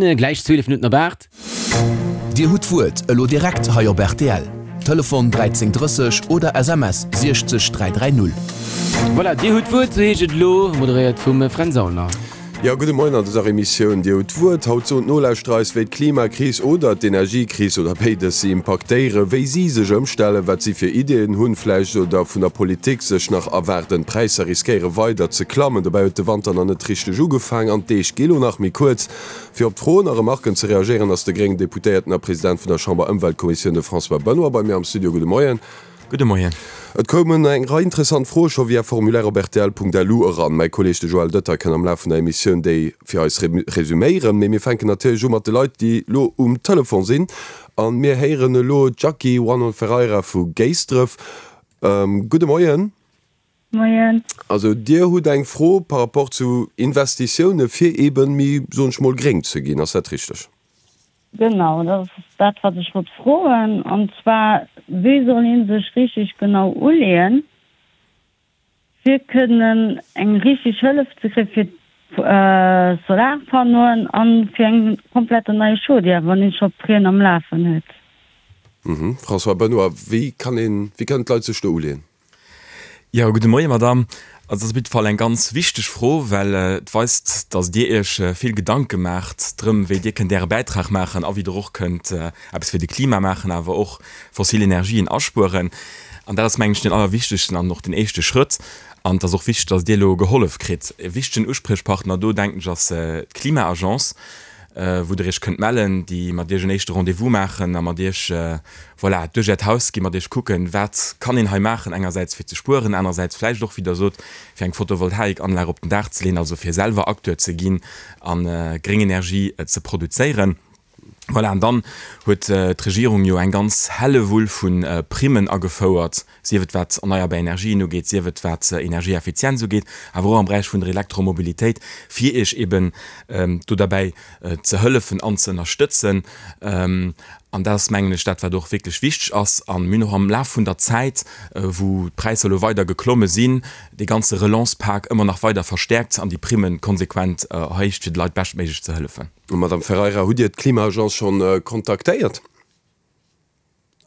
Gläich 12 Minutten op 8. Dir hutt d'Wuert elo direkt hei op rtl. Telefon 13 30 oder SMS 60 330. Voilà, Dir hutt d'Wuert, sou heescht et elo, moderéiert vum Fränz Aulner. Jo, gudde Moien an dëser Emissioun Dir hutt d'Wuert. Haut soen d'Nolauschterer eis, wéi d'Klimakris oder d'Energiekris oder béides si impaktéieren, wéi si sech ëmstellen, wat si fir Ideeën hunn, vläicht oder vun der Politik sech nach erwaarden. D'Präisser riskéiere weider ze klammen. Dobäi huet de Wanter nach net richteg ugefaang an d'Deeg gi lo nach méi kuerz. Fir op d'Froen a Remarken ze reagéieren, ass de gréngen Deputéierten a President vun der Chamber-Ëmweltkommissioun, de François Benoy, bei mir am Studio. Gudde Moien. Gudde Moien. Et koumen eng Rei interessant Froe scho via Formulaire op rtl.lu eran. Mäi Kolleeg de Joël Dötter kënn am Laf vun der Emissioun déi fir eis resüméieren. Mee mir fänken natierlech u mat de Leit, déi lo um Telefon sinn. A mir héieren elo d'Jackie Wahnon Ferreira vu Géisdref. Gudde Moien. Moien. Also Dir hutt eng Fro par rapport zu Investitioune fir eeben méi, soen ech mol, gréng ze ginn. Ass dat richteg? Genau, dat ass dat, wat ech wollt froen. An zwar, wéi soll ee sech richtig genau uleeën, fir kënnen eng richtig Hëllef ze kréien fir d'Solarpannoen a fir eng kompletten nei Chaudière, wann een scho Prêt'en am Lafen huet? François Benoy, Wéi kann een, wéi kënnen d'Leit sech do uleeën? Jo, gudde Moie Madamm. Also dat ass op jidde Fall eng ganz wichteg Fro, well et weist, datt Dir Iech vill Gedanke maacht drëm, wéi Dir kënnt Äre Bäitrag maachen a wéi Der och kënnt eppes fir de Klima maachen, awer och fossil Energien aspueren. An dat ass, mengen ech, den allerwichtegsten an och den éischte Schrëtt. An et ass och wichteg, datt Dir elo gehollef kritt. E wichtegen Uspriechpartner do, denken ech, ass d'Klima-Agence, wou Der Iech kënnt mellen, déi mat Iech en éischte Rendez-vous maachen a mat Iech, voilà, duerch Äert Haus ginn, mat Iech kucken, wat kann een hei maachen, engersäits fir ze spueren, anerersäits vläicht och, wéi Der sot, fir eng Photovoltaikanlag op den Daach ze leeën, also fir selwer Acteur ze ginn a gréng Energie ze produzéieren. Voilà, an dann huet d'Regierung jo eng ganz Hellewull vu Primmen agefouert, sief et wat erneierbar Energien ugeet, sief et wat Energieeffizienz ugeet, awer och am Beräich vun der Elektromobilitéit, fir Iech eben do derbäi ze hëllefen an ze ënnerstëtzen. An dat ass, mengen ech, dat, wat och wierklech wichteg ass. A mir hunn och am Laf vun der Zäit, wou d'Präisser elo weider geklomme sinn, dee ganze Relance-Pak ëmmer nach weider verstäerkt an déi Primme konsequent erhéicht, fir de Leit beschtméiglech ze hëllefen. Madame Ferreira, hutt Dir d'Klima-Agence schonn kontaktéiert?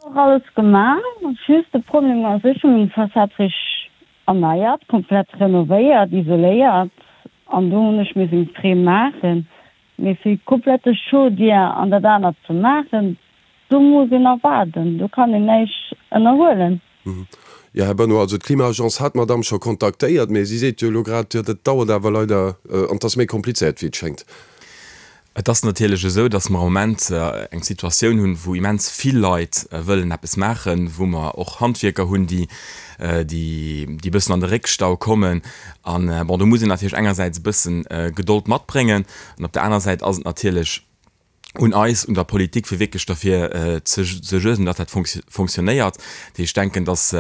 Och alles gemaach, just de Problem ass, ech hunn meng Fassad richteg erneiert, komplett renovéiert, isoléiert an do hunn ech missen eng Prime maachen, mee fir komplette Chaudière an dat anert ze maachen, do muss een nach waarden, do kann een näischt ënnerhuelen. Jo, Här Benoy, also d'Klima-Agence hat d'Madame scho kontaktéiert, mee si seet jo elo grad, jo dat dauert awer leider an 't ass méi komplizéiert wéi et schéngt. Et ass natierlech esou, datt mer am Moment eng Situatioun hunn, wou immens vill Leit wëllen eppes maachen, wou mer och Handwierker hunn, déi déi e bëssen an de Réckstau kommen. An bon, do muss een natierlech engersäits e bësse Gedold matbréngen an op der aner Säit ass et natierlech un eis, un der Politik, fir wierklech derfir ze suergen, datt dat fonctionnéiert. Dat heescht, ech denken, datt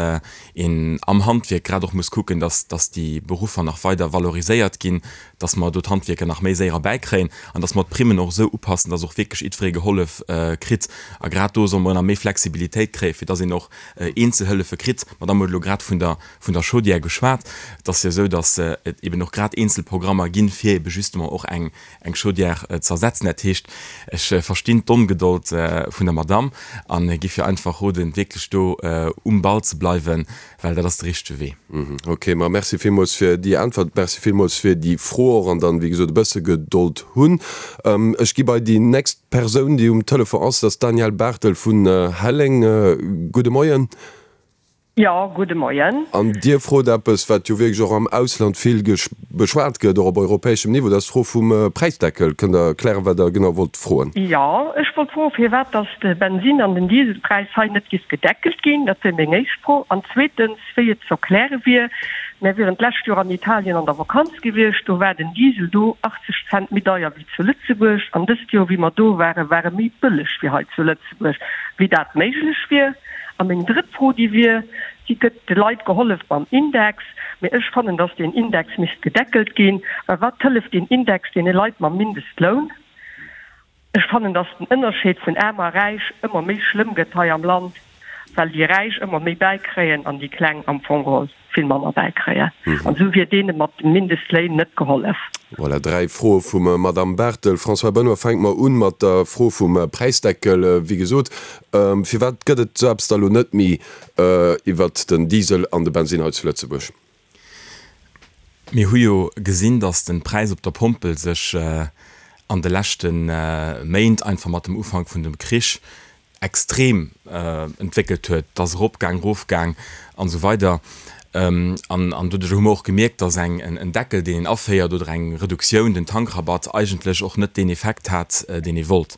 een am Handwierk grad och muss kucken, datt datt déi Beruffer nach weider valoriséiert ginn, datt mer do d'Handwierker nach méi séier erbäikréien an datt mer d'Primmen och esou upassen, datt och wierklech jiddweree gehollef kritt. A grad do solle mer nach méi Flexibilitéit kréien, fir datt een och Eenzelhëllefe kritt. D'Madame huet elo grad vun der vun der Chaudière geschwat. Et ass jo esou, datt et eben och grad eenzel Programmer ginn, fir ebe justement och eng eng Chaudière ze ersetzen. Dat heescht, ech verstinn d'Ongedold vun der Madamm a giff hir einfach roden, wierklech do um Ball ze bleiwen, well dat ass de richtege Wee. Ok, ma merci villmools fir déi Äntwert, merci villmools fir déi Fro och an dann, wéi gesot, e bësse Gedold hunn. Ech gi bei déi nächst Persoun, déi um Telefon ass, dat ass d'Danièle Barthel vun Helleng. Gudde Moien. Jo, gudde Moien. An Dir frot eppes, wat jo wierklech och am Ausland vill beschwat gëtt, och op europäeschem Niveau, dat ass d'Fro vum Präisdeckel. Kënnt Der erklären, wat Der genau wollt froen? Jo, ech wollt froen, firwat dass de Bensin an den Dieselpräis hei net giff gedeckelt ginn. Dat wier meng éischt Fro. An zweetens, wéi et ze erkläre wier, mär wieren d'lescht Joer an Italien an der Vakanz gewiescht, do war den Diesel do 80 Cent méi deier wéi zu Lëtzebuerg. An dëst Joer, wéi mer do waren, war e méi bëlleg wéi hei zu Lëtzebuerg. Wéi dat méiglech wier? A meng drëtt Fro, déi wier, Wéi gëtt de Leit gehollef mam Index? Mee ech fannen, datt deen Index misst gedeckelt ginn, well wat hëlleft deen Index deene Leit mam Mindestloun? Ech fannen, datt den Ënnerscheed vun Aarm a Räich ëmmer méi schlëmm gëtt hei am Land, well déi Räich ëmmer méi bäikréien an déi Kleng am Fong geholl. Vill manner bäikréien. An esou wier deene mat de Mindestléin net gehollef. Voilà, 3 Froe vum Madamm Barthel. François Benoy, fänke mer un mat der Fro vum Präisdeckel. Wéi gesot, firwat gëtt et esou eppes da elo net méi iwwert den Diesel an de Bensinn hei zu Lëtzebuerg? Mir hu jo gesinn, datt de Präis op der Pompel sech an de leschte Méint, einfach mat dem Ufank vun dem Krich, extrem entwéckelt huet, et ass eropgaang, erofgaang an esou weider. An an doduerch hu mer och gemierkt, dass eng en Deckel, deen een aféiert, oder eng Reduktioun, den Tankrabatt, eigentlech och net deen Effekt hat, deen ee wollt,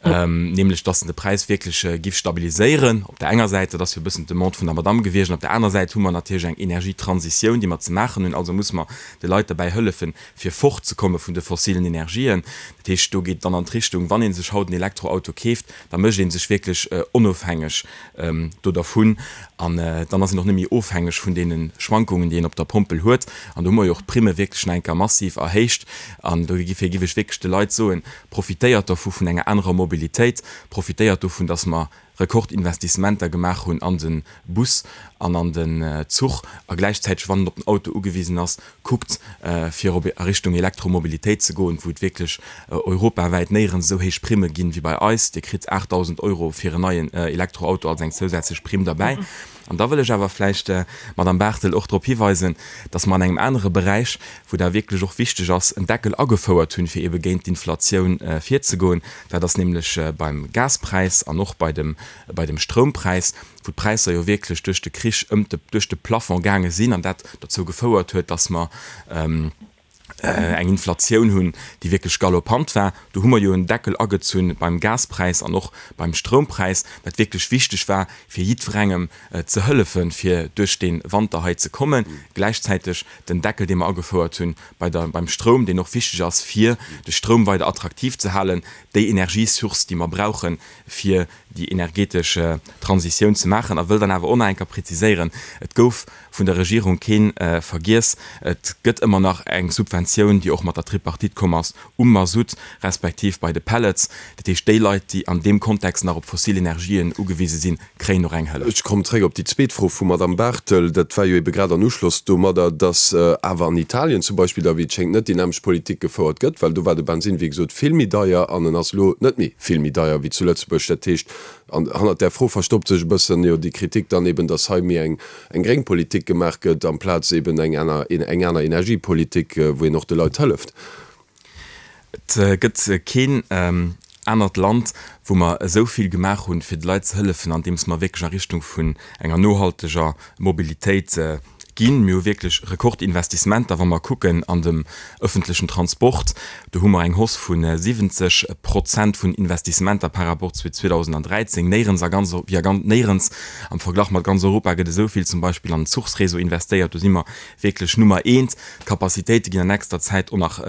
nämlech dass en de Präis wierklech giff stabiliséieren op der enger Säit, dat ass jo e bëssen d'Demande vun der Madamm gewiescht, an op der aner Säit hu mer natierlech eng Energietransitioun, déi mer ze maachen hunn, also muss mer de Leit derbäi hëllefen, fir fortzekomme vun de fossilen Energien. Dat heescht, do geet et dann an d'Richtung, wann ee sech haut en Elektroauto keeft, da mécht ee sech wierklech onofhängeg do dervun an dann ass een och net méi ofhängeg vun deene Schwankungen, déi een op der Pompel huet. An do hu mer jo och d'Primme wierklech nach eng Kéier massiv erhéicht. An dofir géif ech wierklech de Leit soen, Profitéiert dovu vun enger anerer Mobilitéit, profitéiert dovun, datt mer Rekordinvestissementer gemaach hunn an de Bus an an den Zuch a gläichzäiteg, wann en op den Auto ugewisen ass, kuckt fir op a Richtung Elektromobilitéit ze goen, wou et wierklech europawäit néierens esou héich Primme ginn wéi bei eis. Dir kritt 8.000 Euro fir en neien Elektroauto als eng zousätzlech Primm derbäi. An da wëll ech awer vläicht, Madamm Barthel, och drop hiweisen, dass mer an engem anere Beräich, wou dat wierklech och wichteg ass, en Deckel agefouert hunn, fir eebe géint d'Inflatioun virzegoen. Dat ass nämlech beim Gaspräis an och bei dem, bei dem Stroumpräis, wou d'Präisser jo wierklech duerch de Krich ëm de, duerch de Plafond gaange sinn an dat dozou gefouert huet, dass mer eng Inflatioun hunn, déi wierklech galopant war. Do hu mer jo en Deckel agezunn beim Gaspräis an och beim Stroumpräis, wat wierklech wichteg war, fir jiddwerengem ze hëllefen, fir duerch dee Wanter hei ze kommen. Gläichzäiteg den Deckel, dee mer agefouert hunn bei der, beim Stroum, deen och wichteg ass, fir de Stroum weider attraktiv ze halen, déi Energiesource, déi mer brauchen, fir déi energetesch Transitioun ze maachen. A wëll dann awer och nach eng Kéier preziséieren, Et gouf vun der Regierung kee vergiess. Et gëtt ëmmer nach eng Subventioun, déi och mat der Tripartite komm ass, um Masutt respektiv bei de Pellets. Dat heescht, déi Leit, déi an deem Kontext nach op fossil Energien ugewise sinn, kréien och eng Hëllef. Ech kommen zréck op déi zweet Fro vum Madamm Barthel. Dat war jo ebe grad an Uschloss domadder, dass awer an Italien zum Beispill da wéi et schéngt net déi nämmlecht Politik gefouert gëtt, well do war de Bensinn, wéi gesot, vill méi deier an en ass elo net méi vill méi deier wéi zu Lëtzebuerg. Dat heescht, An hannert där Fro verstoppt sech e bëssen jo déi Kritik dann eben, datt hei méi eng eng gréng Politik gemaach gëtt amplaz eben eng aner eng aner Energiepolitik, wou een och de Leit hëlleft. Et gëtt keen anert Land, wou mer esou vill gemaach hunn, fir de Leit ze hëllefen, andeems mer wierklech a Richtung vun enger nohalteger Mobilitéit ginn. Mir hu wierklech Rekordinvestissementer, wa mer kucken an dem öffentlechen Transport, do hu mer eng Hausse vu 70 Prozent vun Investissementer par rapport zu 2013. Néierens a ganz, wéi a ganz, néierens am Verglach mat ganz Europa gëtt esou vill zum Beispill an den Zuchsréseau investéiert. Do si mer wierklech Nummer eent. D'Capacitéite ginn an nächster Zäit och nach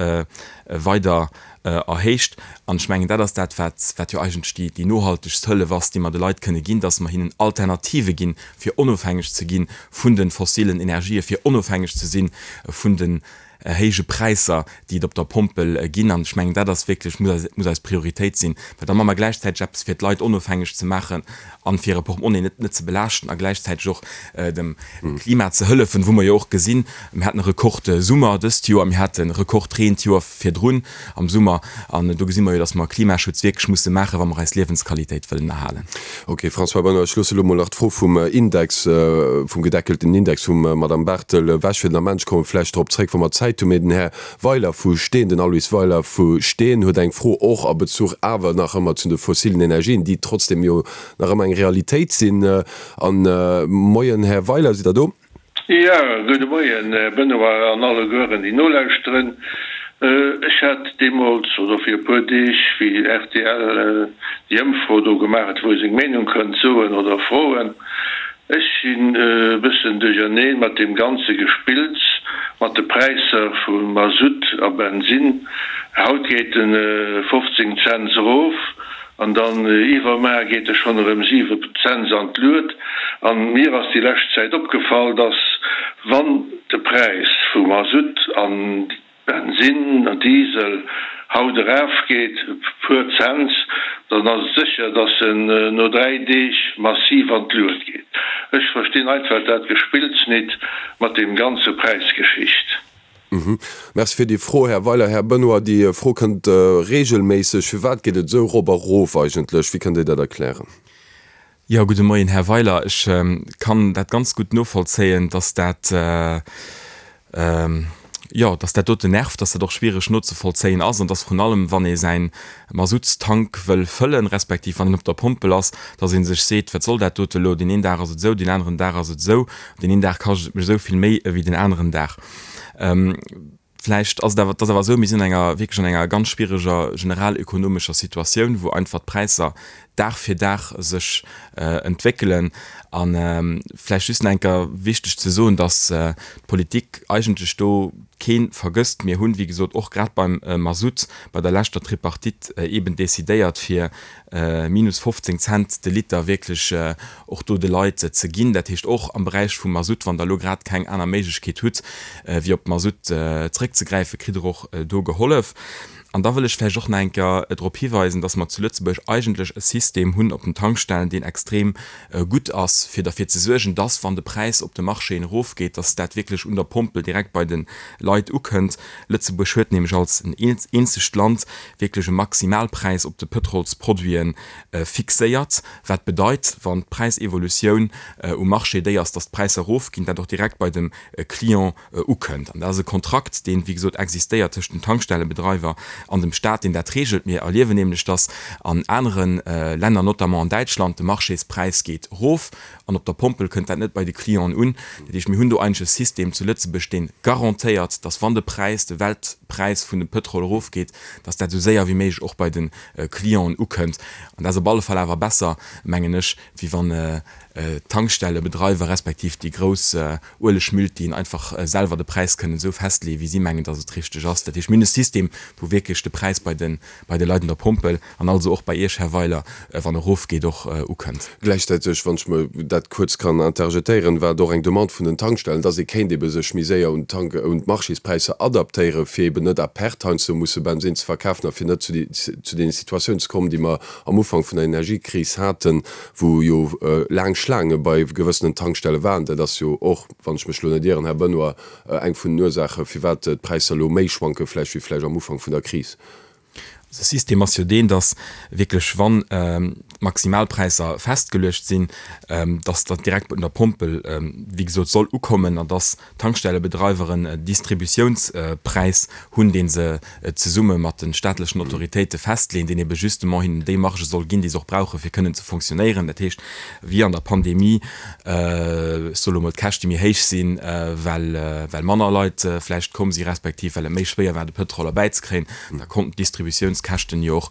weider erhéicht. An ech mengen, dat ass dat, wat, wat jo eigentlech déi, déi nohaltegst Hëllef ass, déi mer de Leit kënne ginn, dass mer hinnen Alternative ginn, fir onofhängeg ze gi vun de fossilen Energien, fir onofhängeg ze si vun den héije Präisser, déi et op der Pompel ginn. An ech mengen, dat ass wierklech, muss eis, muss eis Prioritéit sinn, well da maache mer gläichzäiteg eppes, fir d'Leit onofhängeg ze maachen an fir hire Portemonnaie net, net ze belaaschten a gläichzäiteg och dem Klima ze hëllefen, wou mer jo och gesinn, mir haten e Rekordsummer dëst Joer, mir hate Rekordreen d'Joer virdrun am Summer an do gesi mer jo, datt mer Klimaschutz wierklech musse maachen, wa mer eis Liewensqualitéit wëllen erhalen. Ok, François Benoy, ech loosse elo mol nach d'Fro vum Index, vum gedeckelten Index vum Madame Barthel ewech fir den Ament. Ech komme vläicht drop zréck, wa mer Zäit hunn. Mee den Här Weiler vu Steen, den Aloyse Weiler vu Steen huet eng Fro och a Bezuch awer nach ëmmer zu de fossilen Energien, déi trotzdem jo nach ëmmer eng Realitéit sinn. An Moien, Här Weiler, sidd Der do? Jo, gudde Moien, Här Benoy an allegueren, déi nolauschteren. Ech hat deemools, oder fir e puer Deeg, wéi rtl déi Ëmfro do gemaach huet, wou ee seng Meenung kënnt soen oder froen, ech sinn e bëssen duercherneen mat deem ganze Gespills mat de Präisser vu Masutt a Bensinn. Haut geet en 15 Cents erof, An dann iwwermaer geet e schonn erëm 7 Cents an d'Luet. An mir ass déi lescht Zäit opgefall, dass wann de Präis vu Masutt an Bensinn an Diesel haut erafgeet e puer Cents, dann ass et sécher, dass en no 3 Deeg massiv an d'Luet geet. Ech verstinn einfach dat Gespills nit mat deem ganze Präisgeschicht. Merci fir déi Fro, Här Weiler. Här Benoy, déi Fro kënnt regelméisseg. Firwat geet et esou erop a rof eigentlech? Wéi kënnt Dir dat erklären? Jo, gudde Moien, Här Weiler. Ech kann dat ganz gutt novollzéien, dass dat, jo, dass dat doten nervt, dass dat och schwiereg nozevollzéien ass an dass vrun allem, wann ee säin Masuttstank wëll fëllen, respektiv wann een op der Pompel ass, dass ee sech seet, wat soll dat dote elo, deen een Dag ass et esou, deen aneren Dag ass et esou, deen een Dag kascht et mech esou vill méi ewéi den aneren Dag. Vläicht ass et awer, et ass awer esou, mir sinn an enger, wierklech an enger ganz schwiereger generalökonomescher Situatioun, wou einfach d'Präisser Dag fir Dag sech entwéckelen. A vläicht just nach eng Kéier wichteg ze soen, dass d'Politik eigentlech do kee vergësst. Mir hunn, wéi gesot, och grad beim Masutt bei der leschter Tripartite eeben decidéiert, fir minus 15 Cent de Liter wierklech och do de Leit ze ginn. Dat heescht och am Beräich vum Masutt, wann Der elo grad keng aner Méiglechkeet hutt, wéi op Masutt zréckzegräifen, kritt Der och do gehollef. An da wëll ech vläicht och nach eng Kéier drop hiweisen, dass mer zu Lëtzebuerg eigentlech e System hunn op den Tankstellen, deen extrem gutt ass, fir derfir ze suergen, dass, wann de Präis op de Marchéen erofgeet, dass dat wierklech un der Pompel direkt bei de Leit ukënnt. Lëtzebuerg huet nämlech als eenzegt Land wierklech e Maximalpräis op de Pëtrolsproduite fixéiert, wat bedeit, wann d'Präisevolutioun um Marché déi ass, dass d'Präisser erofginn, dat och direkt bei dem Client ukënnt. An dat ass e Kontrakt, deen, wéi gesot, existéiert tëscht den Tankstellebedreiwer an dem Staat, deen dat reegelt. Mir erliewen nämlech, dass an anere Länner, notamment an Däitschland, de Marchéspräis geet erof an op der Pompel kënnt dat net bei de Clienten un. Dat heescht, mir hunn do eigentlech e System zu Lëtzebuerg, dee garantéiert, dass wann de Präis, de Weltpräis vun dem Pëtrol erofgeet, dass dat esou séier wéi méiglech och bei de Clienten ukënnt. An dat ass op alle Fall awer besser, mengen ech, wéi wann d'Tankstellebedreiwer respektiv déi grouss Uelegmultien einfach selwer de Präis kënnen esou festleeën, wéi si mengen, dass et richteg ass. Dat heescht, mir hunn e System, wou wierklech de Präis bei de bei de Leit un der Pompel an also och bei Iech, Här Weiler, wann e erofgeet, och ukënnt. Gläichzäiteg, wann ech mer dat kuerz kann interjetéieren, war et och eng Demande vun den Tankstellen, dass ee kéint ebe sech méi séier un d'Tank un d'Marchéspräisser adaptéieren, fir eben net à perte heiansdo musse Bensinn ze verkafen a fir net zu zu deene Situatiounen ze kommen, déi mer am Ufank vun der Energiekris haten, wou jo laang Schlaange bei gewëssenen Tankstelle waren. Dat ass jo och, wann ech mech elo net ieren, Här Benoy, eng vun den Ursaache firwat d'Präisser elo méi schwanke vläicht wéi vläicht am Ufank vun der Kris. De System ass jo deen, datt wierklech, wann d'Maximalpräisser festgeluecht sinn, datt dat direkt un der Pompel, wéi gesot, soll ukommen an datt d'Tankstellebedreiwer en Distributiounspräis hunn, dee se zesumme mat de staatlechen Autoritéite festleeën, deen ebe justement hinnen déi Marge soll ginn, déi se och brauchen, fir kënnen ze fonctionnéieren. Dat heescht, wéi an der Pandemie, ech soe lo mol, d'Käschte méi héich sinn, well well manner Leit vläicht komm si respektiv well et méi schwéier war, de Pëtrol erbäizekréien, da konnten d'Distributiounskäschten jo och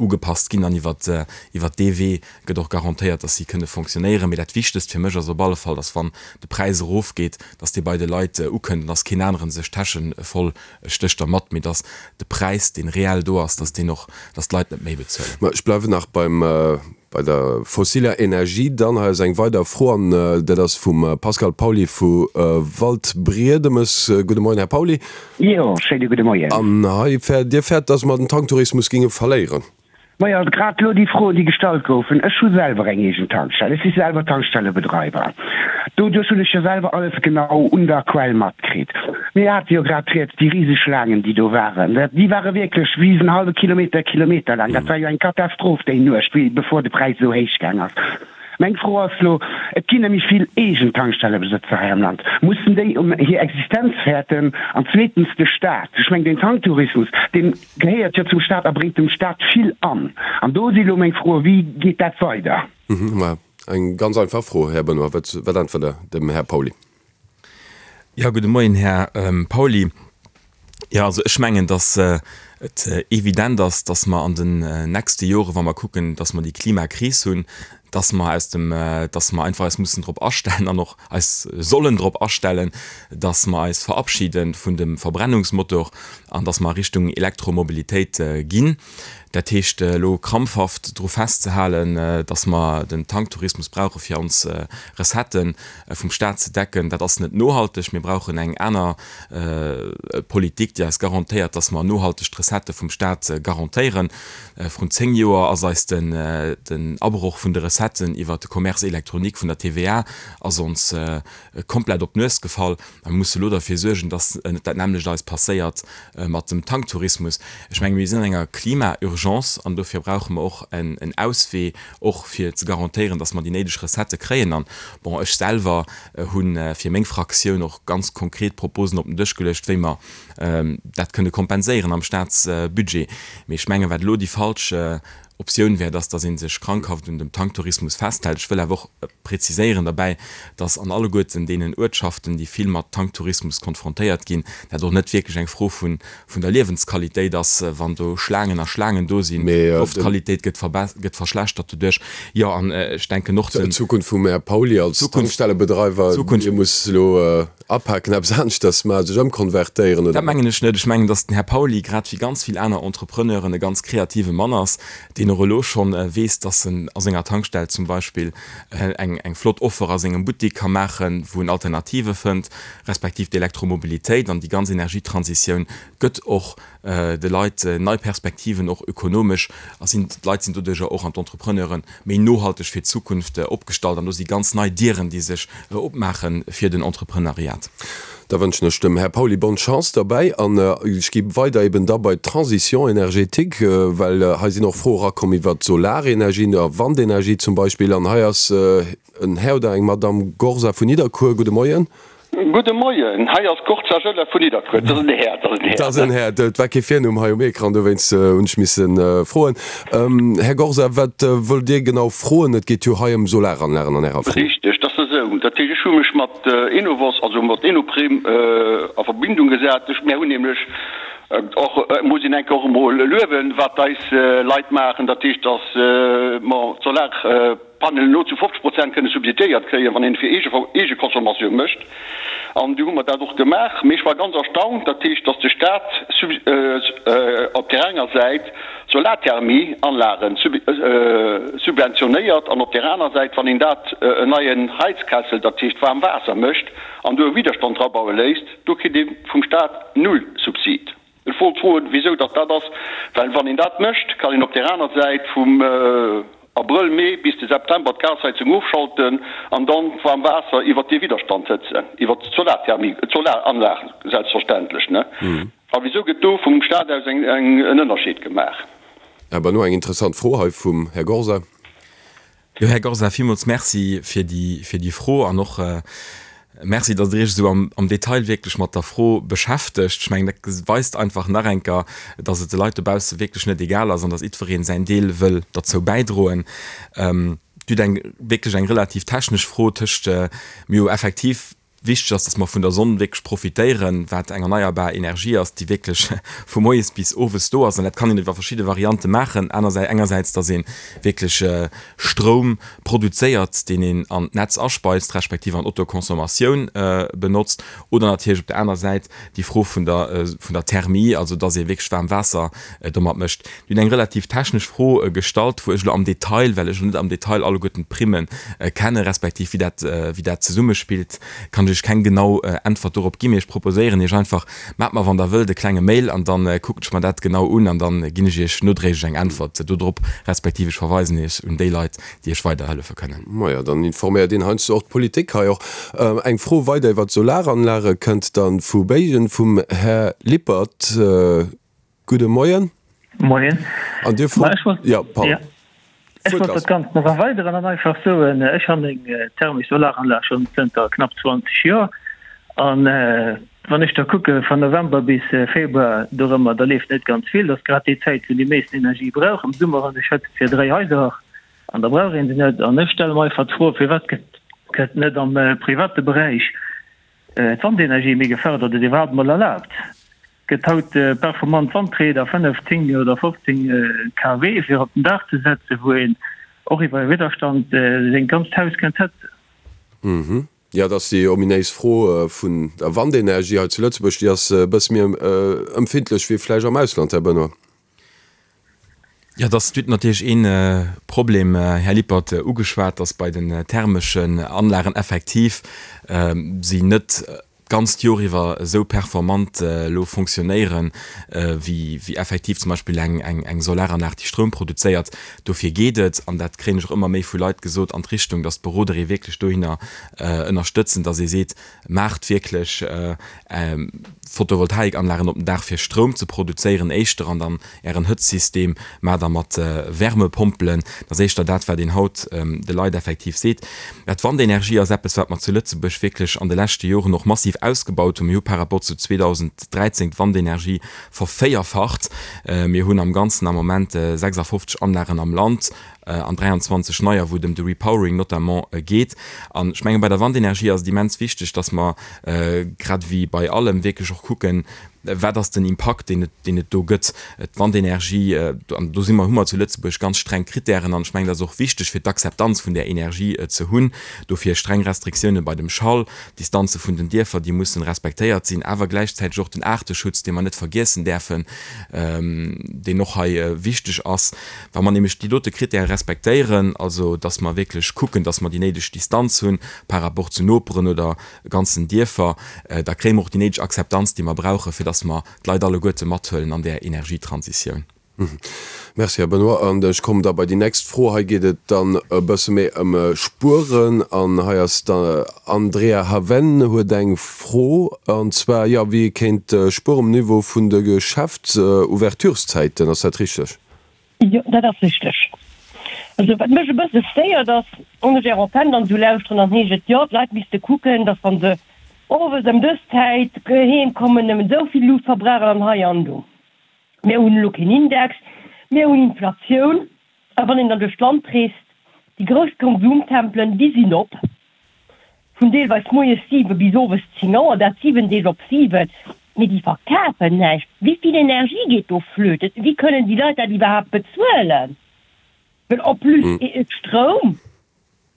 ugepasst ginn an iwwert iwwert dee Wee gëtt och garantéiert, dass si kënne fonctionnéieren. Mee dat Wichtegst fir mech ass op alle Fall, dass wann de Präis erofgeet, dass dee bei de Leit ukënnt an dass keen anere sech d'Täsche voll stécht dermat, mee dass de Präis, dee reell do ass, dass deen och, dass d'Leit net méi bezuelen. Mä ech bleiwen nach beim, bei der fossiler Energie. Dann hei ass eng weider Fro an dat ass vum Pascal Pauly vu Waldbriedemes. Gudde Moien, Här Pauly. Jo, schéine gudde Moien. An hei fäert, Dir fäert, dass mer den Tanktourismus géinge verléieren? Majo, grad elo déi Froen, déi gestallt goufen. Ech hu selwer eng eegen Tankstell. Ech si selwer Tankstellebedreiwer. Doduerch hunn ech jo selwer alles genau un der Quell matkritt. Mir hate jo grad rieds, déi riseg Schlaangen, déi do waren, déi ware wierklech wéi en hallwe Kilometer, Kilometer laang. Dat war jo eng Katastroph déi Nuecht, wéi bevor de Präis esou héich gaang ass. Meng Fro ass elo, Et ginn nämlech vill eegen Tankstellebesëtzer hei am Land. Mussen déi ëm hir Existenz fäerten? An zweetens de Staat. Ech mengen, den Tanktourismus, deen Gehéiert jo zum Staat a bréngt dem Staat vill an. An do si lo meng Froen, Wéi geet dat weider? Mä eng ganz einfach Fro, Här Benoy, Wat äntwert Der dem Här Pauly? Jo, gudde Moien, Här Pauly. Jo, also ech mengen, datt et evident ass, datt mer an den nächste Joren, wa mer kucken, datt mer déi Klimakris hunn, datt mer aus dem, datt mer einfach eis mussen drop astellen an och eis sollen drop astellen, datt mer eis verabschide vun dem Verbrennungsmotor an datt mer a Richtung Elektromobilitéit ginn. Dat heescht, elo krampfhaft dru festzehalen, datt mer den Tanktourismus brauche fir ons Recettë vum Staat ze decken, dat ass net nohalteg. Mir brauchen eng aner Politik, déi eis garantéiert, datt mer nohalteg d'Recettë. Recettë vum Staat garantéieren. Vrun 10 Joer ass eis den den Abroch vun de Recetten iwwert de Commerce électronique vun der TVA ass ons komplett op d'Nues gefall. A mir musse elo derfir suergen, dass net dat nämmlecht eis passéiert mat dem Tanktourismus. Ech menge mir sinn an enger Klima-Urgence an dofir brauche mer och en Auswee, och fir ze garantéieren, dass mer déi néideg Recettë kréien. An, bon, ech selwer hu fir meng Fraktioun och ganz konkret Proposen op den Dësch geluecht, wéi mer dat kënne kompenséieren am Staatsbudget. Mee ech mengen, wat elo déi falsch Optioun wär, dass, dass ee sech krankhaft un dem Tanktourismus festhält. Ech wëll awer och preziséieren derbäi, dass an alleguerten deenen Uertschaften, déi vill mat Tanktourismus konfrontéiert ginn, dat och net wierklech eng Fro vun, vun der Liewensqualitéit ass, wann do Schlaangen a Schlaangen do sinn. D'Loftqualitéit gëtt gëtt verschlechtert doduerch. Jo, an ech denken och den. D'Zukunft vum Här Pauly als Tankstellebedreiwer, dee muss elo Apaken, eppes aneschters maachen, sech ëmkonvertéieren, oder? Dat mengen ech net. Ech mengen, datt den Här Pauly, grad wéi ganz vill aner Entrepreneuren, e ganz kreative Mann ass, deen och elo schonn weess, datt en a senger Tankstell zum Beispill eng eng flott Offer a sengem Buttik ka maachen, wou en Alternative fënnt, respektiv d'Elektromobilitéit an déi ganz Energietransitioun gëtt och de Leit nei Perspektiven, och ökonomesch, a sinn, d'Leit sinn doduerjer och an d'Entrepreneuren méi nohalteg fir d'Zukunft opgestallt an do si ganz nei Dieren, déi sech opmaache fir den Entreprenariat. Da wënschen ech dem Här Pauly bonne Chance derbäi an ech gi weider eben da bei d'Transition énergétique, well hei sinn och Froe erakomm iwwert d'Solarenergie a Wandenergie zum Beispill an hei ass en Här oder eng Madamm Gorza vun Nidderkuer. Gudde Moien. Gudde Moien, hei ass Gorza Joseph vun Nidderkuer. Dat ass en Här, dat ass en Här. Dat ass en Här. Et war kee Virnumm hei um Ecran, dowéinst hunn ech misse froen. Här Gorza, wat wëllt Dir genau froen? Et geet jo hei ëm Solaranlagen an Ärer Fro. Richteg, dat ass esou. Dat heescht, ech hu mech mat Enovos, also mat Enoprim a Verbindung gesat. Ech, mär hunn nämlech och, muss een enke och emol luewen, wat eis Leit maachen, dat heescht, datt mer d'Solar, Panelen elo zu 50 Prozent kënne subsidiéiert kréien, wann een et fir Eegeconsommatioun mécht. An du hu mer dat och gemaach. Mee ech war ganz erstaunt, dat heescht, datt de Staat op där enger Säit Solarthermieanlage subventionéiert an op där aner Säit, wann een dat en neien Heizkessel, dat heescht waarm Waasser mécht an do e Widderstand drabaue léisst, do kritt ee vum Staat null Subsid. Ech wollt froen, wisou datt dat ass, well wann een dat mécht, kann een op där aner Säit vum Abrëll, Mee bis de September d'Gasheizung ofschalten an dann d'waarm Waasser iwwert dee Widderstand hëtzen, iwwert d'Solarthermie, d'Solaranlag selbstverständlech, ne? A wisou gëtt do vum Staat aus eng, en Ënnerscheed gemaach? Här Benoy, eng interessant Fro hei vum Här Gorza. Jo, Här Gorza, villmools Merci fir déi, fir déi Fro an och Merci, datt Der Iech esou am, am Detail wierklech mat der Fro beschäftegt. Ech mengen, dat weist einfach nach eng Kéier, datt et de Leit dobausse wierklech net egal ass an datt jiddweree säin Deel wëll derzou bäidroen. Dir hutt eng, wierklech eng relativ technesch Fro tëscht mir jo effektiv Wichteg ass, dass mer vun der Sonn wierklech profitéieren, wat eng erneierbar Energie ass, déi wierklech vu moies bis owes do ass. An dat kann een iwwer verschidde Variante maachen, anersäits, engersäits, dass ee wierklech Stroum produzéiert, deen een an d'Netz aspeist, respektiv an Autoconsommatioun benotzt, oder natierlech op der aner Säit déi Fro vun der, vun der Thermie, also dass ee wierklech waarm Waasser domat mécht. Dir hutt eng relativ technesch Fro gestallt, wou ech elo am Detail, well ech elo net am Detail alleguerten d'Primme kenne respektiv wéi dat, wéi dat zesummespillt, kann ech Iech keng genau Äntwert dorop ginn. Mee ech proposéieren Iech einfach, maacht mer, wann Der wëllt, e klenge Mail an da kucken ech mer dat genau un an da ginn ech Iech nodréiglech eng Äntwert dodrop, respektiv ech verweisen Iech un déi Leit, déi Iech weiderhëllefe kënnen. Majo, dann informéiert een heiansdo och d'Politik hei och. Eng Fro weider iwwert d'Solaranlage kënnt dann vu Béigen vum Här Lippert. Gudde Moien. Moien. An Dir frot, jo, pardon. Ech wollt dat Ganzt nach erweideren an einfach soen, ech han eng thermesch Solaranlag schonn zënter knapp 20 Joer an wann ech da kucke van November bis Februar dorëmmer, da leeft net ganz vill. Dat ass grad déi Zäit wou déi meesten Energie brauch. Am Summer hunn ech Hëtzt fir 3 Haiser an da brauch een se net. An ech stelle mer einfach d'Fro, firwat gëtt net am private Beräich d'Wandenergie méi gefërdert oder iwwerhaapt mol erlaabt? Gëtt haut performant Wandrieder, 5, 10 oder 15 kW, fir op den Daach ze setzen, wou een och iwwer e Widderstand seng ganzt Haus kënnt hëtzen. Mhm. Jo, dat ass déi ominéis Fro vun der Wandenergie hei zu Lëtzebuerg. Déi ass e bësse méi empfindlech wéi vläicht am Ausland, Här Benoy. Jo, dass hutt natierlech ee Problem, Här Lippert, ugeschwat, dass bei den thermeschen Anlagen effektiv si net. d'ganzt Jor iwwer esou performant elo fonctionnéieren, wéi wéi effektiv zum Beispill eng eng eng Solaranlag, déi Stroum produzéiert. Dofir geet et, an dat kréien ech och ëmmer méi vu Leit gesot, an d'Richtung, datt d'Beroder ee wierklech dohinner ënnerstëtzen, datt ee seet, Maacht wierklech Photovoltaikanlagen op den Daach fir Stroum ze produzéieren éischter an dann Ären Hëtzsystem maacht der mat Wärmepompelen. Dat ass éischter dat, wat een haut de Leit effektiv seet. Mä d'Wandenergie ass eppes, wat mer zu Lëtzebuerg wierklech an de leschte Joren och massiv ausgebaut hunn. Mir hu par rapport zu 2013 d'Wandenergie vervéierfacht. Mir hunn am Ganzen am Moment 56 Anlagen am Land an 23 neier, wou et ëm de Repowering notamment geet. An ech menge bei der Wandenergie ass et immens wichteg, dass mer grad ewéi bei allem wierklech och kucken, wat ass den Impakt, deen et, deen et do gëtt. D'Wandenergie, an do si mer, hu mer zu Lëtzebuerg ganz streng Kritären an ech mengen, dat ass och wichteg fir d'Akzeptanz vun där Energie ze hunn. Dofir streng Restriktioune bei dem Schall, d'Distanze vun den Dierfer, déi mussen respektéiert sinn, awer gläichzäiteg och den Aarteschutz, dee mer net vergiessen däerfen, deen och hei wichteg ass. Wa mer nämlech déi dote Kritäre respektéieren, also dass mer wierklech kucken, dass mer déi néideg Distanz hunn par rapport zu Noperen oder ganzen Dierfer, da kréie mer och déi néideg Akzeptanz, déi mer brauchen, fir dass mer d'Leit alleguerte mathuelen an där Energietransitioun. Merci, Här Benoy. An ech kommen da bei déi nächst Fro. Hei geet et dann e bësse méi ëm Spueren. An hei ass d'Andrea Haven huet eng Fro, an zwar, jo, wéi ee kéint spueren um Niveau vun de Geschäftsouvertureszäiten. Ass dat richteg? Jo, dat ass richteg. Also wat mech e bësse stéiert ass, wann ech Är Antenn dann esou lauschteren, dann heescht et, jo, d'Leit misste kucken, datt wa se owes ëm dës Zäit heem kommen, nëmmen esou vill Luucht verbrauchen an hei an do. Mir hunn elo keen Index, mir hunn Inflatioun. A wann een dann duerch d'Land reest, déi grouss Konsumtempelen, déi sinn op. Vun deelweis moies 7 bis owes 10 Auer, dat 7 Deeg op 7, mee déi verkafen näischt. Wéi vill Energie geet do flöten? Wéi kënnen déi Leit dat iwwerhaapt bezuelen? Well en plus Stroum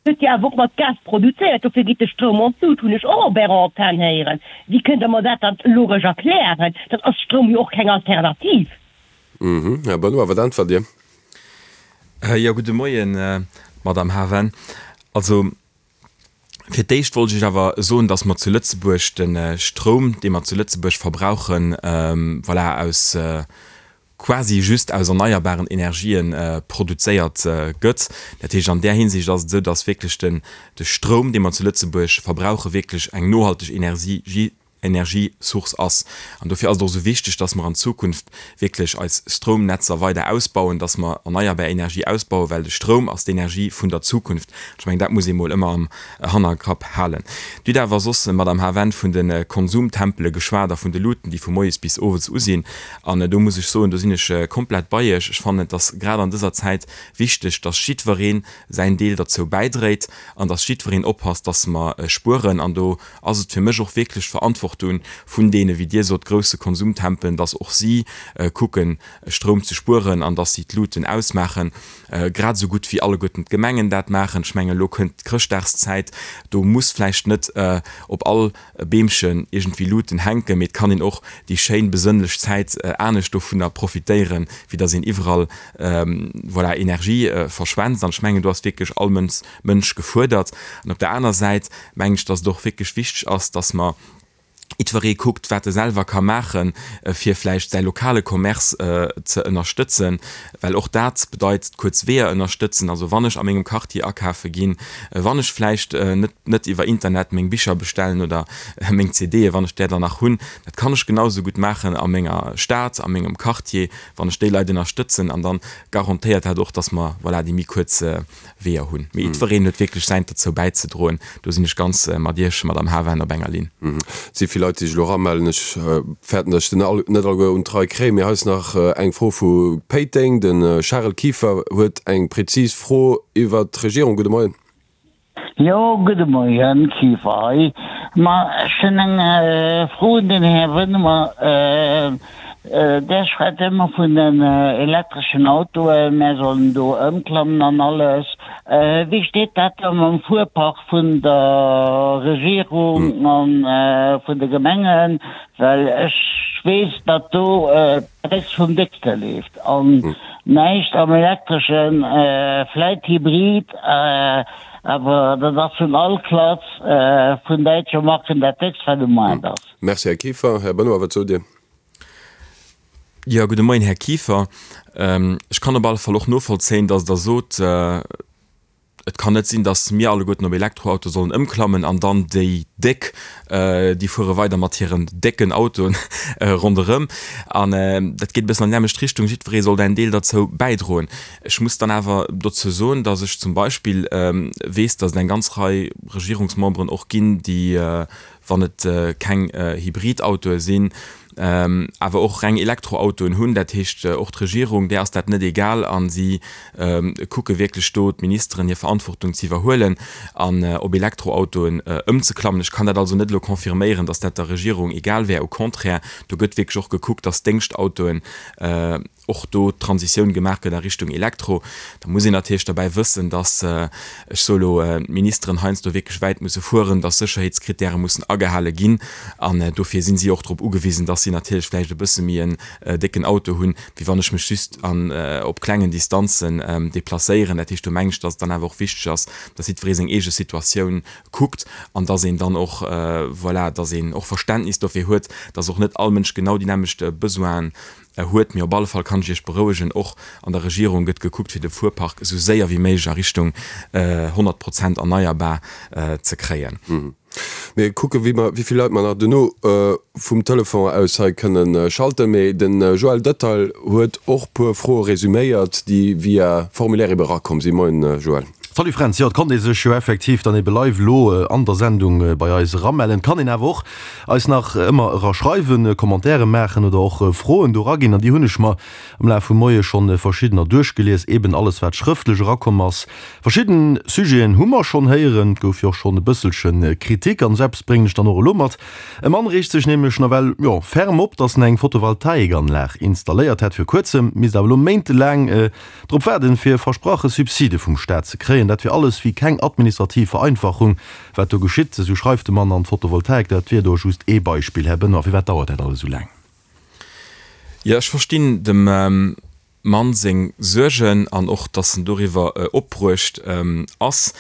gëtt jo awer och mat Gas produzéiert, dofir geet de Stroum an d'Lut, hunn ech och op Ärer Antenn héieren. Wéi kënnt Der mer dat dann logesch erklären? Dann ass Stroum jo och keng Alternativ. Här Benoy, wat äntwert Dir? Jo, gudde Moien, Madamm Haven. Also, Fir d'éischt wollt ech awer soen, dass mer zu Lëtzebuerg de Stroum, dee mer zu Lëtzebuerg verbrauchen, voilà, aus quasi just aus erneierbaren Energien produzéiert gëtt. Dat heescht, an där Hinsicht ass et esou, dass wierklech den de Stroum, dee mer zu Lëtzebuerg verbrauchen, wierklech eng nohalteg Energie Energiesource ass. An dofir ass et och esou wichteg, dass mer an Zukunft wierklech eis Stroumnetzer weider ausbauen, dass mer erneierbar Energie ausbauen, well de Stroum ass d'Energie vun der Zukunft. Ech mengen, dat muss ee mol ëmmer am Hannerkapp halen. Dir hutt awer soss, Madamm Haven, vun de Konsumtempele geschwat a vun de Luuten, déi vu moies bis owes u sinn. An do muss ech soen, do sinn ech komplett bei Iech. Ech fannen, et ass grad an dëser Zäit wichteg, dass jiddweree säin Deel derzou bäidréit an dass jiddwereen oppasst, dass mer spueren. An do ass et fir mech och wierklech d'Verantwortung vun deene, wéi Dir sot, grousse Konsumtempelen, dass och si kucken, Stroum ze spueren an dass si d'Luuten ausmaachen, grad esou gutt wéi alleguerten d'Gemengen dat maachen. Ech mengen, elo kënnt d'Chrëschtdagszäit, do muss vläicht net op all Beemchen iergendwéi Luuten hänken, mee et kann een och déi schéin besënnlech Zäit anescht dovunner profitéieren, wéi dass een iwwerall, voilà, Energie verschwent. An ech mengen, do ass wierklech all Mënsch Mënsch gefuerdert. An op der aner Säit mengen ech, dass et och wierklech wichteg ass, dass mer jiddweree kuckt, wat e selwer ka maachen, fir vläicht säi lokale Commerce ze ënnerstëtzen, well och dat bedeit kuerz Weeër ënnerstëtzen. Also wann ech a mengem Quartier akafe ginn, wann ech vläicht net net iwwer Internet meng Bicher bestellen oder meng CDe, wann ech där dann nach hunn, dat kann ech genau esou gutt maachen a menger Stad, a mengem Quartier, wann ech déi Leit ënnerstëtzen. An da garantéiert dat och, dass mer, voilà, déi méi kuerz Weeër hunn. Mee jiddwereen huet wierklech säint derzou bäizedroen. Do sinn ech ganz mat Iech, Madamm Haven, op enger Linn. Et si vill Leit, déi sech elo eramellen. Ech fäerten, datt ech den all net alleguer un d'Rei kréien. Mee hei ass nach eng Fro vu Péiteng. De Charel Kieffer huet eng prezis Fro iwwert d'Regierung. Gudde Moien. Jo, gudde Moien, Kieffer hei. Ma ech hunn eng Fro un den Här Wënnemer. Där schwätzt ëmmer vun den elektreschen Autoen, mär sollen do ëmklammen an alles. Wéi steet dat da mam Fuerpark vun der Regierung a vun de Gemengen? Well ech weess, datt do d'Drécks vum Déckste leeft. Näischt am Elektreschen, vläit Hybrid, awer dat ass vun all Klass vun däitsche Marken dat déckst wat um Maart ass. Merci, Här Kieffer. Här Benoy, wat sot Dir? Jo, gudde Moien, Här Kieffer. Ech kann op alle Fall och novollzéien, datt Der sot, Et kann net sinn, datt mir alleguerten op Elektroauto sollen ëmklammen an dann déi Déck, déi fuere weider mat hiren décken Autoen ronderëm. An dat geet e bëssen an déi nämmlecht Richtung, jiddweree soll däin Deel derzou bäidroen. Ech muss dann awer dozou soen, datt ech zum Beispill weess, datt et eng ganz Rei Regierungsmemberen och ginn, déi wann et keng Hybridautoe sinn, awer och reng Elektroautoen hunn. Dat heescht, och d'Regierung, där ass dat net egal a si kucke wierklech do, d'Ministeren, hir Verantwortung ze iwwerhuelen an op Elektroautoen ëmzeklammen. Ech kann dat also net elo confirméieren, datt dat der Regierung egal wär. Au contraire, do gëtt wierklech och gekuckt, datt d'Déngschtautoen, och do d'Transitioun gemaach gëtt a Richtung Elektro, da muss een natierlech derbäi wëssen, dass, ech soe lo, d'Ministeren heiansdo wierklech wäit musse fueren, dass Sécherheetskrittäre mussen agehale ginn. An dofir si si och drop ugewisen, dass si natierlech vläicht e bësse méi en décken Auto hunn, wéi wann ech mech just an op klengen Distanzen deplacéieren. Dat heescht, do mengen ech, dass et dann awer och wichteg ass, dass jiddweree seng eege Situatioun kuckt an dass een dann och, voilà, dass een och Verständnis dofir huet, dass och net all Mënsch genau déi nämmlecht Besoinen huet. Mee op alle Fall kann ech Iech berouegen, och an der Regierung gëtt gekuckt, fir de Fuerpark esou séier wéi méiglech a Richtung 100 Prozent erneierbar ze kréien. Mir kucke wéi mer, wéi vill Leit mer nach duerno vum Telefon aus hei kënne schalten. Mee de Joël Dötterl huet och puer Froe resuméiert, déi via Formulaire ebe erakomm sinn. Moien Joël. Salut Fränz, jo et konnt ee sech jo effektiv dann ebe live elo an der Sendung bei eis eramellen. Et kann een awer och eis nach ëmmer era schreiwen, Commentaire maachen oder och Froen do eraginn an déi hunn ech mer am Laf vum Moie schonn verschiddener duerchgelies, eben alles wat schrëftlech erakomm ass. Verschidden Sujeten hu mer schonn héieren, et gouf jo och schonn e bësselche Kritik an esou eppes bréngen ech dann och elo mat. E Mann reegt sech nämlech nawell, jo, ferm op, dass en eng Photovoltaikanlag installéiert hätt vir kuerzem, misst awer elo méintelaang Drop waarden, fir versprache Subside vum Staat ze kréien. Dat wier alles wéi keng administrativ Vereinfachung, wat do geschitt, esou schreift de Mann. An d'Photovoltaik, dat wier do just ee Beispill. Här Benoy, firwat dauert dat alles esou laang? Jo, ech verstinn dem Mann seng Suergen an och, datt en doriwwer opbruecht ass.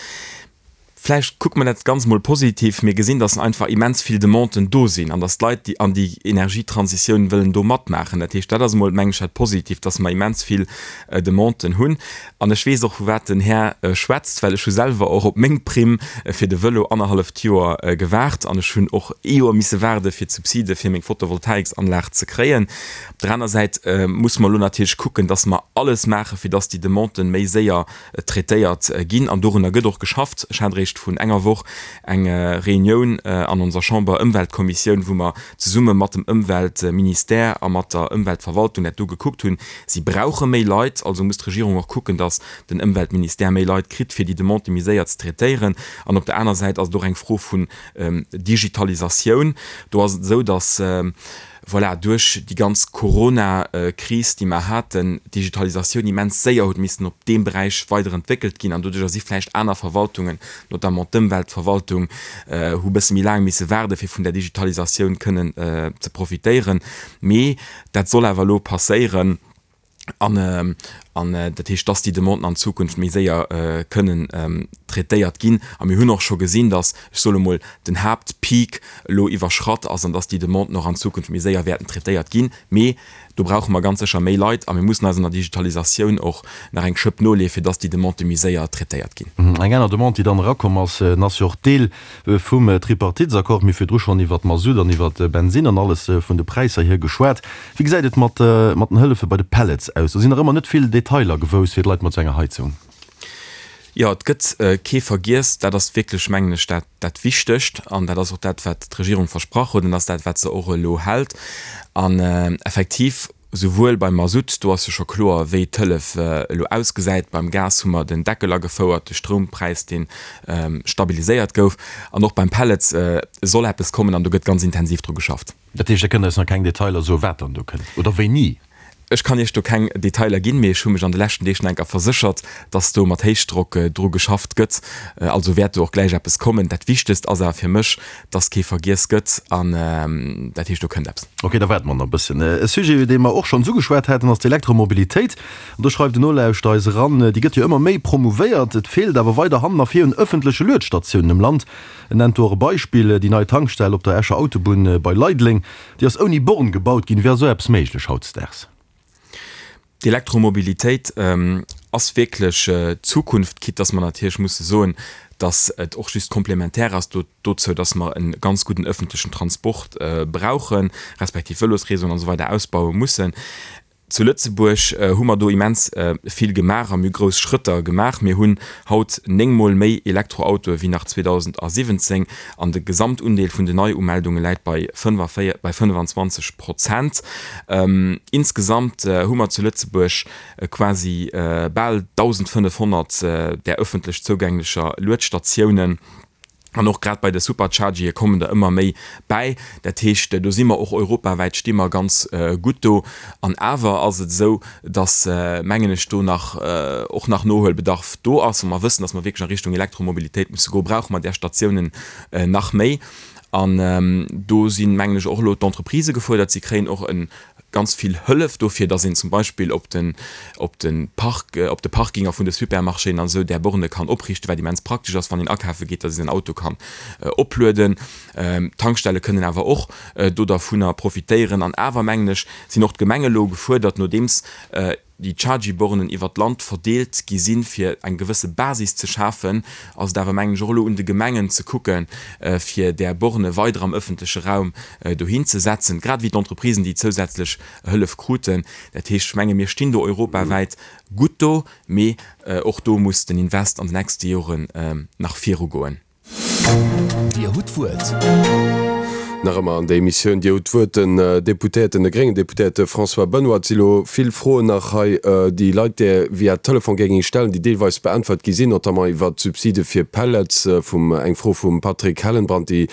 Vläicht kucke mer dat Ganzt mol positiv, Mir gesinn, dass einfach immens vill Demanden do sinn an dass d'Leit, déi an déi Energietransitioun wëllen do matmaachen. Dat heescht, dat ass emol, mengen ech, dat Positiivt, dass mer immens vill Demanden hunn. An ech weess och, vu wat den Här schwätzt, well ech hu selwer och op meng Primm fir de Vëlo annerhalleft Joer gewaart an ech hunn och ee Joer misse waarde fir d'Subside fir meng Photovoltaiksanlag ze kréien. Op der aner Säit musse mer elo natierlech kucken, dass mer alles maachen, fir dass déi Demanden méi séier traitéiert ginn an dorunner gëtt och geschafft. Ech hat eréischt vrun enger Woch eng Reunioun an onser Chamber-Ëmweltkommissioun, wou mer zesumme mat dem Ëmweltministère a mat der Ëmweltverwaltung dat do gekuckt hunn. Si brauche méi Leit, also muss d'Regierung och kucken, datt den Ëmweltministère méi Leit kritt, fir déi Demandë méi séier ze traitéieren. An op der aner Säit ass et och eng Fro vun Digitalisatioun. Do ass et esou, datt voilà, duerch déi ganz Corona-Kris, déi mer haten, d'Digitalisatioun immens séier huet missen op deem Beräich weiderentwéckelt ginn an doduercher si vläicht aner Verwaltungen, notamment d'Ëmweltverwaltung, hu bësse méi laang misse waarde fir vun där Digitalisatioun kënnen ze profitéieren. Mee dat soll awer elo passéieren. An, an dat heescht, dass déi Demanden an Zukunft méi séier kënnen traitéiert ginn. A mir hunn och scho gesinn, dass, ech soe mol, den Haaptpeak elo iwwerschratt ass an dass déi Demanden och an Zukunft méi séier wäerten traitéiert ginn. Mee do brauche mer ganz sécher méi Leit a mir mussen eis an der Digitalisatioun och nach eng Schëpp noleeën, fir dass déi Demandë méi séier traitéiert ginn. Eng aner Demande, déi dann erakomm ass, ass jo och Deel vum Tripartitesaccord. Mir hu virdru schonn iwwert Masutt an iwwert Bensinn an alles vun de Präisser hier geschwat. Wéi gesäit et mat den Hëllefe bei de Pellets aus? Do sinn nach ëmmer net vill Detailer gewouss fir d'Leit mat sou enger Heizung. Jo, et gëtt kee vergiess. Dat ass wierklech, mengen ech, dat dat Wichtegt an dat ass och dat, wat d'Regierung versprach huet an dat ass dat, wat se och elo hält. An effektiv, souwuel beim Masutt, do ass jo scho kloer, wéi d'Hëllef elo ausgesäit, beim Gas hu mer den Deckel agefouert, de Stroumpräis, dee stabiliséiert gouf, an och beim Pellets soll eppes kommen an do gëtt ganz intensiv dru geschafft. Dat heescht, Der kënnt eis nach keng Detailer soen, wat dann do kënnt oder wéini? Ech kann Iech do keng Detailer ginn, mee ech hu mech an de leschten Deeg nach eng Kéier verséchert, dass do mat Héichdrock dru geschafft gëtt. Also wäert do och gläich eppes kommen. Dat Wichtegst ass awer fir mech, dass kee vergiess gëtt an dat heescht, do kënnt eppes. Ok, da waarde mer nach e bësschen. E Sujet, dee mer och schonns ugeschwat haten, ass d'Elektromobilitéit. An do schreift en Nolauschterer eis eran, Déi gëtt jo ëmmer méi promouvéiert, et feelt awer weider hannen a vir un ëffentleche Luedstatiounen am Land. En nennt do och e Beispill, déi nei Tankstell op der Escher Autobunn bei Leideleng. Déi ass ouni Born gebaut ginn. Wéi ass esou eppes méiglech hautdesdaags? D'Elektromobilitéit ass wierklech d'Zukunft, quitte dass mer natierlech musse soen, dass et och just komplementär ass dozou, dass mer e ganz gudden ëffentlechen Transport brauchen, respektiv Vëlosreseauen an esou weider ausbaue mussen. Zu Lëtzebuerg hu mer do immens vill gemaach a mir hu grouss Schrëtter gemaach. Mir hunn haut néngmol méi Elektroautoe wéi nach 2017 an de Gesamtundeel vun den Neiumeldunge läit bei 25 Prozent. Insgesamt hu mer zu Lëtzebuerg quasi bal 1.500 där ëffentlech zougänglecher Luedstatiounen. An och grad bei de Superchargere kommen der ëmmer méi bäi. Dat heescht, do si mer och europawäit sti mer ganz gutt do. An awer ass et esou, datt, mengen ech, do nach och nach Nohuelbedarf do ass. Wa mer wëssen, datt mer wierklech a Richtung Elektromobilitéit musse goen, brauche mer där Statiounen nach méi. An do sinn, mengen ech, och elo d'Entreprisë gefuerdert. Si kréien och e ganz vill Hëllef dofir, dass een zum Beispill op den, op de Park, op de Parkinger vun de Supermarchéen an esou där Borne kann opriichten, wat immens praktesch ass, wann een akafe geet, dass ee säin Auto kann oplueden. D'Tankstelle kënnen awer och do dervunner profitéieren. An awer, mengen ech, sinn och d'Gemenge elo gefuerdert, nodeems déi Chargy-Bornen iwwert d'Land verdeelt gi sinn, fir eng gewësse Basis ze schafen, ass et awer, mengen ech, och elo un de Gemengen ze kucken, fir där Borne weider am öffentleche Raum dohin ze setzen, grad ewéi d'Entreprisen, déi zousätzlech Hëllef kruten. Dat heescht, ech menge mir stinn do europawäit gutt do, mee och do muss den Invest an de nächste Joren nach virugoen. Dir hutt d'Wuert. Nach ëmmer an der Emissioun Dir hutt d'Wuert, den Deputéierten, de gréngen Deputéierte François Benoy. Et si lo vill Froen nach hei, déi Leit där via Telefon géinge stellen, déi deelweis beäntwert gi sinn, notamment iwwert d'Subside fir Pellets, vum, eng Fro vum Patrick Hellenbrand, déi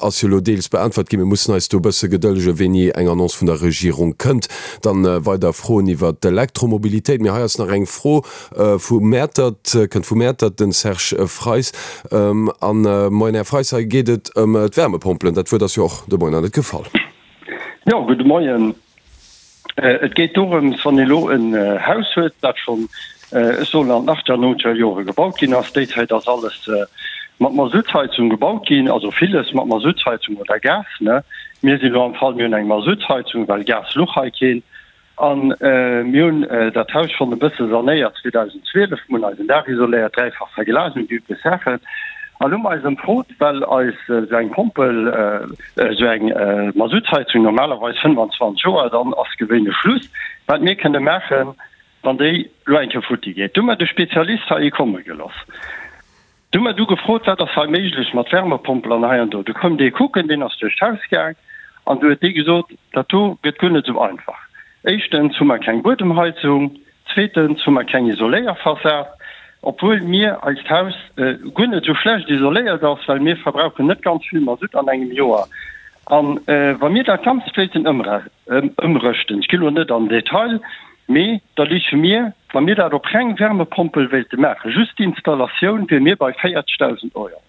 ass jo lo deels beäntwert ginn. Mir mussen eis do e bësse gedëllegen, wéini eng Annonce vun der Regierung kënnt. Dann weider Froen iwwert d'Elektromobilitéit. Mee hei ass nach eng Fro, Vu Mäertert, kënnt vu Mäertert, den Serge Freis. An, moien Här Freis, hei geet et ëm d'Wärmepompelen. Dat Wuert ass jo och de Moien nach net gefall. Jo, gudde Moien. Et geet dorëms, wann ee lo en Haus huet, dat schonn, ech soen an den achter, nonzeger Jore gebaut ginn ass. Déi Zäit ass alles mat Masuttheizung gebaut ginn, also villes mat Masuttheizung oder Gas, ne. Mir sinn elo am Fall, mir hunn eng Masuttheizung, well Gas luch hei keen. A mir hunn dat Haus schonn e bësse sanéiert 2012, mir hunn eisen Daach isoléiert, dräifach verglasen, déi üblech Saachen. An hu mer eis ëmfrot, well eis esou eng Pompel, esou eng Masuttheizung normalerweis 25 Joer, dann ass gewéinlech Schluss, wat mir kënne maachen, wann déi elo eng Kéier futti geet. Du hu mer de Spezialist hei komme geloss. Du hu mer du gefrot, wat ass hei méiglech mat Wärmepompel an hei an do. Du koum dee kucken, deen ass duerch d'Haus gaang an du huet dee gesot, dat do gëtt guer net esou einfach. Éischtens hu mer keng Buedemheizung, zweetens hu mer keng Isoléierfassad, obwuel mir eist Haus guer net esou schlecht isoléiert ass, well mir verbrauchen net ganz vill Masutt an engem Joer. A wa mir dat Ganzt wéilten ëmrëschten, ech ginn elo net an den Detail, Mee da liche mir, wa mir dat op reng Wärmepompel wéilte maachen, just d'Installatioun, wiere mir bei 40.000 Euro.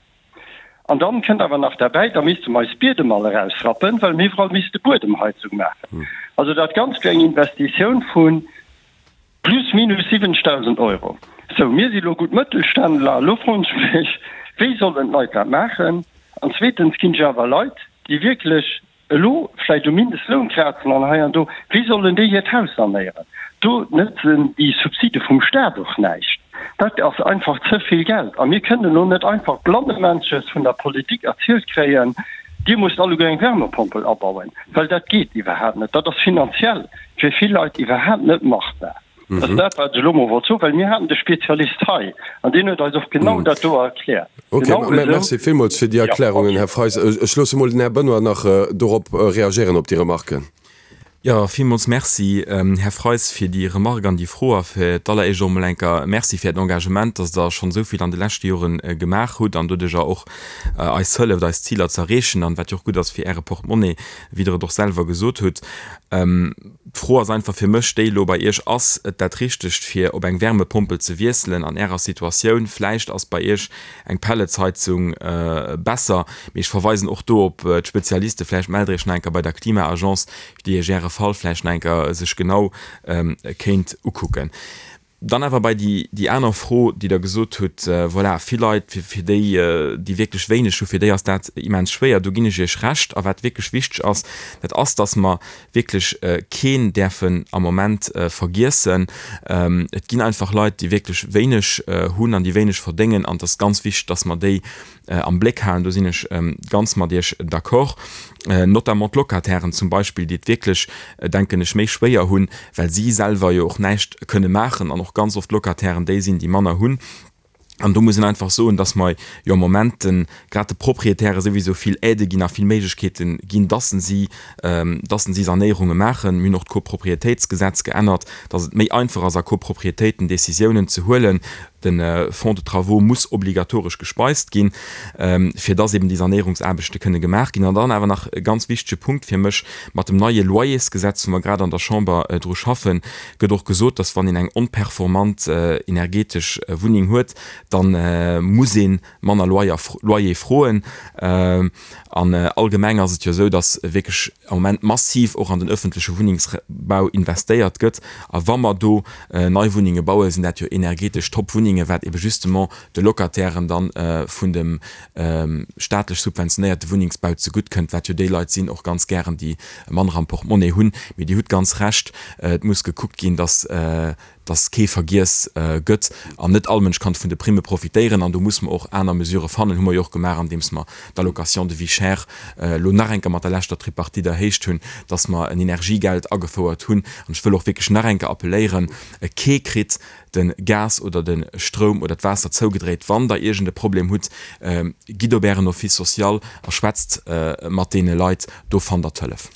An dann kënnt awer nach derbäi, da misste mer eis Biedem all erausrappen, well mir iwwerall misste Buedemheizung maachen. Also dat Ganzt wier eng Investitioun vu plus minus 70.000 Euro. Sou, mir si lo gutt Mëttelständler. Elo froen ech mech, wéi sollen d'Leit dat maachen? An zweetens ginn ech awer Leit, déi wierklech elo vläicht um Mindestloun krazen an hei an do, wéi sollen déi hiert Haus sanéieren? Do nëtzen déi Subside vum Staat och näischt. Dat ass einfach ze vill Geld. A mir kënnen elo net einfach blannemännches vun der Politik erzielt kréien, Dir musst alleguer eng Wärmepompel abauen, well dat geet iwwerhaapt net. Dat ass finanziell fir vill Leit iwwerhaapt net machbar. Dat ass dat, wat ech elo mol wollt soen, well mir haten de Spezialist hei an deen huet eis och genau dat do erkläert. Ok, Genau esou. merci villmools fir déi Ja, Erklärungen, ok. Här Freis. Ech loosse mol den Här Benoy nach dorop reagéieren, op déi Remarken. Jo, villmools Merci, Här Freis, fir déi Remark an déi Fro. A fir d'alleréischt och emol eng Kéier Merci fir Äert Engagement, dass Der schonn esou vill an de leschte Jore gemaach hutt an doduercher och eis hëlleft, eis Ziler ze erreechen an wat jo och gutt ass fir Äre Portemonnaie, wéi Der et och selwer gesot hutt. D'Fro ass einfach fir mech déi elo bei Iech, Ass et dat Richtegt, fir op eng Wärmepompel ze wiesselen an Ärer Situatioun? Vläicht ass bei Iech eng Pelletsheizung besser, mee ech verweisen och do op d'Spezialiste. Vläicht mellt Der Iech nach eng Kéier bei der Klima-Agence, déi Iech Äre Fall vläicht nach eng Kéier sech genau kéint ukucken. Dann awer bei déi, déi aner Fro, déi Der gesot hutt, voilà, vill Leit, fir, fir déi, déi wierklech wéineg hu, fir déi ass dat immens schwéier. Do ginn ech Iech Recht. A wat wierklech wichteg ass, dat ass, dass mer wierklech keen däerfen am Moment vergiessen. Et ginn einfach Leit, déi wierklech wéineg hunn an déi wéineg verdéngen. An et ass ganz wichteg, dass mer déi am Bléck halen. Do sinn ech ganz mat Iech d'accord. Notamment d'Locatairen zum Beispill, déi et wierklech, denken ech, méi schwéier hunn, well si selwer jo och näischt kënne maachen an och ganz oft d'Locatairen déi sinn, déi manner hunn. An do muss een einfach soen, dass mer jo am Moment de grad de Proprietäre souwisou vill Aidë ginn a vill Méiglechkeete ginn, dass si, dass si Sanéierunge maachen. Mir hunn och d'Copropriétéitsgesetz geännert, dass et méi einfach ass, a Copropriétéiten Décisiounen ze huelen, De Fonds de travaux muss obligatoresch gespeist ginn, fir dass eben déi Sanéierungsaarbechte kënne gemaach ginn. An dann awer nach e ganz wichtege Punkt fir mech, Mat dem neie Loyersgesetz, wou mer grad an der Chamber dru schaffen, gëtt och gesot, dass wann een eng onperformant energetesch Wunneng huet, da muss ee manner Loyer froen. An allgemeng ass et jo esou, dass wierklech am Moment massiv och an den öffentleche Wunnengsbau investéiert gëtt. A wa mer do nei Wunnenge bauen, sinn dat jo energetesch Top-Wunnenge, wat ebe justement de Locatairen dann vun dem staatlech subventionéierte Wunnengsbau zegutt kënnt, wat jo déi Leit sinn och ganz gären, déi manner am Portemonnaie hunn. Mee Dir hutt ganz Recht, et muss gekuckt ginn, dass dass kee vergiess gëtt an net all Mënsch kann vun de Primme profitéieren. An do muss mer och aner Mesurë fannen, hu mer jo och gemaach, andeems mer d'Allocation de vie chère elo nach eng Kéier mat der leschter Tripartite erhéicht hunn, dass mer en Energiegeld agefouert hunn. An ech wëll och wierklech nach eng Kéier appelléieren, Kee kritt de Gas oder de Stroum oder d'Waasser zougedréit. Wann Der iergend e Problem hutt, gitt op Ären Office social a schwätzt mat deene Leit, do fannt Der d'Hëllef.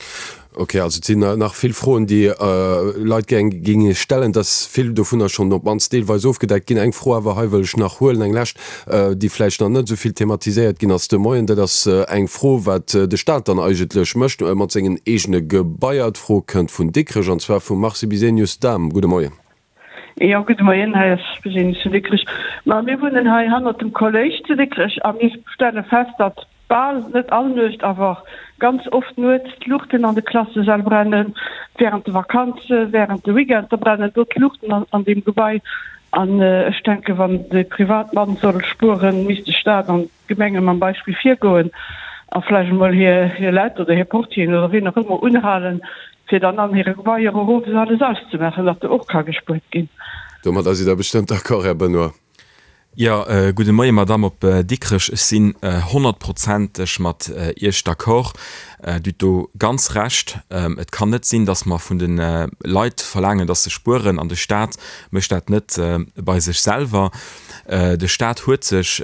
Ok, also et sinn nach vill Froen, déi Leit gär géinge stellen. Et ass vill dovunner schonn op d'mannst deelweis ofgedeckt ginn. Eng Fro awer hei wëll ech nach huelen, eng lescht, déi vläicht nach net esou vill thematiséiert ginn ass de Moien. Dat ass eng Fro, wat de Staat dann eigentlech mécht mat sengen eegene Gebaier. D'Fro kënnt vun Dikrech, an zwar vum Marcy Bisenius-Dahm. Gudde Moien. Jo, gudde Moien, hei ass Bisenius vun Dikrech. Ma mir wunnen hei hannert dem Kolléisch zu Dikrech a mir stelle fest, datt Bal, net all Nuecht, awer ganz oft nuets d'Luuchten an de Klassesäll brennen, während de Vakanze, während de Weekender brennen do d'Luuchten an deem Gebai. An ech denken, wann de Privatmann soll spueren, misst de Staat an d'Gemenge mam Beispill virgoen a vläicht emol hir Leit oder hir Portieren oder wien och ëmmer unhalen, fir dann an hire Gebaier och owes alles auszemaachen, datt do och ka gespuert ginn. Domadder sidd Der bestëmmt d'accord, Här Benoy. Jo, gudde Moie Madamm op Dikrech. Ech sinn honnertprozenteg mat Iech d'accord. Dir hutt do ganz Recht. Et kann net sinn, datt mer vun de Leit verlaangen, datt se spueren an de Staat mécht dat net bei sech selwer. De Staat huet sech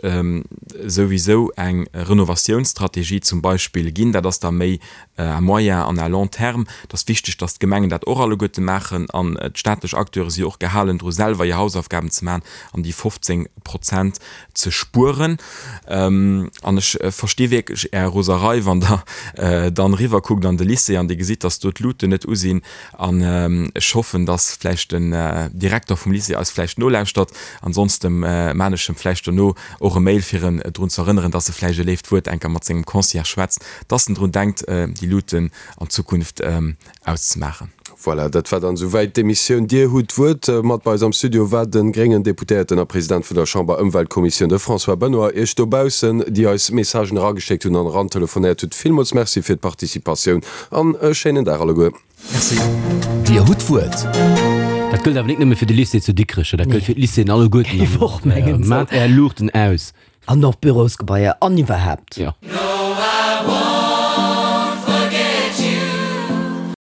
souwisou eng Renovatiounsstrategie zum Beispill ginn. Dat ass da méi à moyen an à long terme. Et ass wichteg, datt d'Gemengen dat och alleguerte maachen an d'staatlech Acteure si jo och gehalen dru selwer hir Hausaufgaben ze maachen an déi 15 Prozent ze spueren. An ech versti wierklech Är Roserei, wann Der dann eriwwer kuckt an de Lycée an Dir gesitt, datt do d'Luuten net u sinn. An ech hoffen, datt vläicht den Direkter vum Lycée eis vläicht nolauschtert. Ansonsten maan ech em vläicht dono och e Mail, fir en drun ze erënneren, datt e vläicht e léift Wuert enker mat sengem Concierge schwätzt, dass en drun denkt, déi Luuten an Zukunft auszemaachen. Voilà, dat war dann esouwäit d'Emissioun Dir hutt d'Wuert. Mat bei eis am Studio war de gréngen Deputéierten a President vun der Chamber-Ëmweltkommissioun, de François Benoy. Iech dobaussen, déi eis Messagen erageschéckt hunn an erantelefonéiert hutt, villmools Merci fir d'Participatioun an e schéinen Dag alleguer. Merci. Dir hutt d'Wuert. Dat gëllt awer nik nëmme fir de Lycée zu Dikrech, dat gëllt fir d'Lycéeën alleguerten. Géif och mengen. Maat Är Luuchten aus. An och Bürosgebaier an iwwerhaapt. Jo.